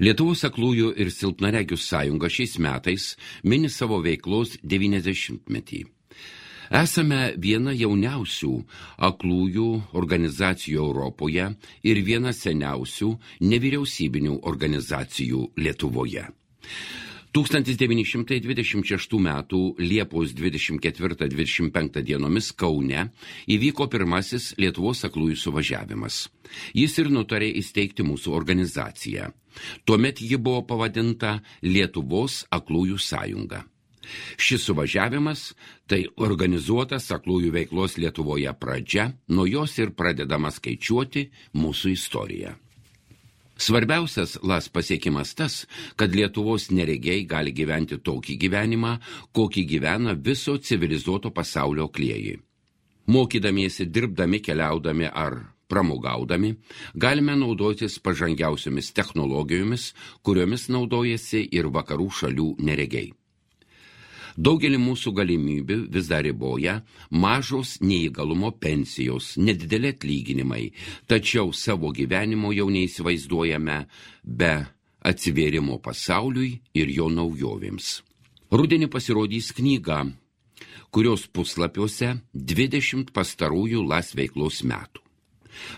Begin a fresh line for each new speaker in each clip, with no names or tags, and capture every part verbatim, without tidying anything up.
Lietuvos aklųjų ir silpnaregių sąjunga šiais metais mini savo veiklos devyniasdešimtmetį. Esame viena jauniausių aklųjų organizacijų Europoje ir viena seniausių nevyriausybinių organizacijų Lietuvoje. tūkstantis devyni šimtai dvidešimt šeštų metų Liepos dvidešimt ketvirtą - dvidešimt penktą dienomis Kaune įvyko pirmasis Lietuvos aklųjų suvažiavimas. Jis ir nutarė įsteigti mūsų organizaciją. Tuomet ji buvo pavadinta Lietuvos aklųjų sąjunga. Šis suvažiavimas – tai organizuotas aklųjų veiklos Lietuvoje pradžia, nuo jos ir pradedama skaičiuoti mūsų istoriją. Svarbiausias L A S pasiekimas tas, kad Lietuvos neregiai gali gyventi tokį gyvenimą, kokį gyvena viso civilizuoto pasaulio aklieji. Mokydamiesi, dirbdami, keliaudami ar pramogaudami, galime naudotis pažangiausiomis technologijomis, kuriomis naudojasi ir vakarų šalių neregiai. Daugelį mūsų galimybių vis dar riboja mažos neįgalumo pensijos, nedideli atlyginimai, tačiau savo gyvenimo jau neįsivaizduojame be atsivėrimo pasauliui ir jo naujovėms. Rudenį pasirodys knyga, kurios puslapiuose dvidešimt pastarųjų L A S veiklos metų.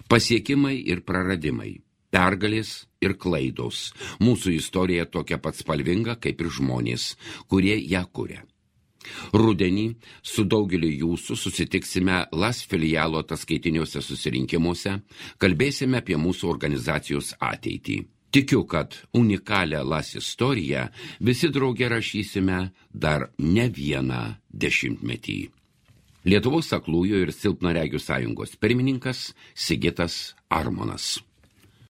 Pasiekimai ir praradimai, pergalės ir klaidos. Mūsų istorija tokia pat spalvinga kaip ir žmonės, kurie ją kuria. Rudenį su daugeliu jūsų susitiksime L A S filialo ataskaitiniuose susirinkimuose, kalbėsime apie mūsų organizacijos ateitį. Tikiu, kad unikalią L A S istoriją visi drauge rašysime dar ne vieną dešimtmetį. Lietuvos aklųjų ir silpnaregių sąjungos pirmininkas Sigitas Armonas.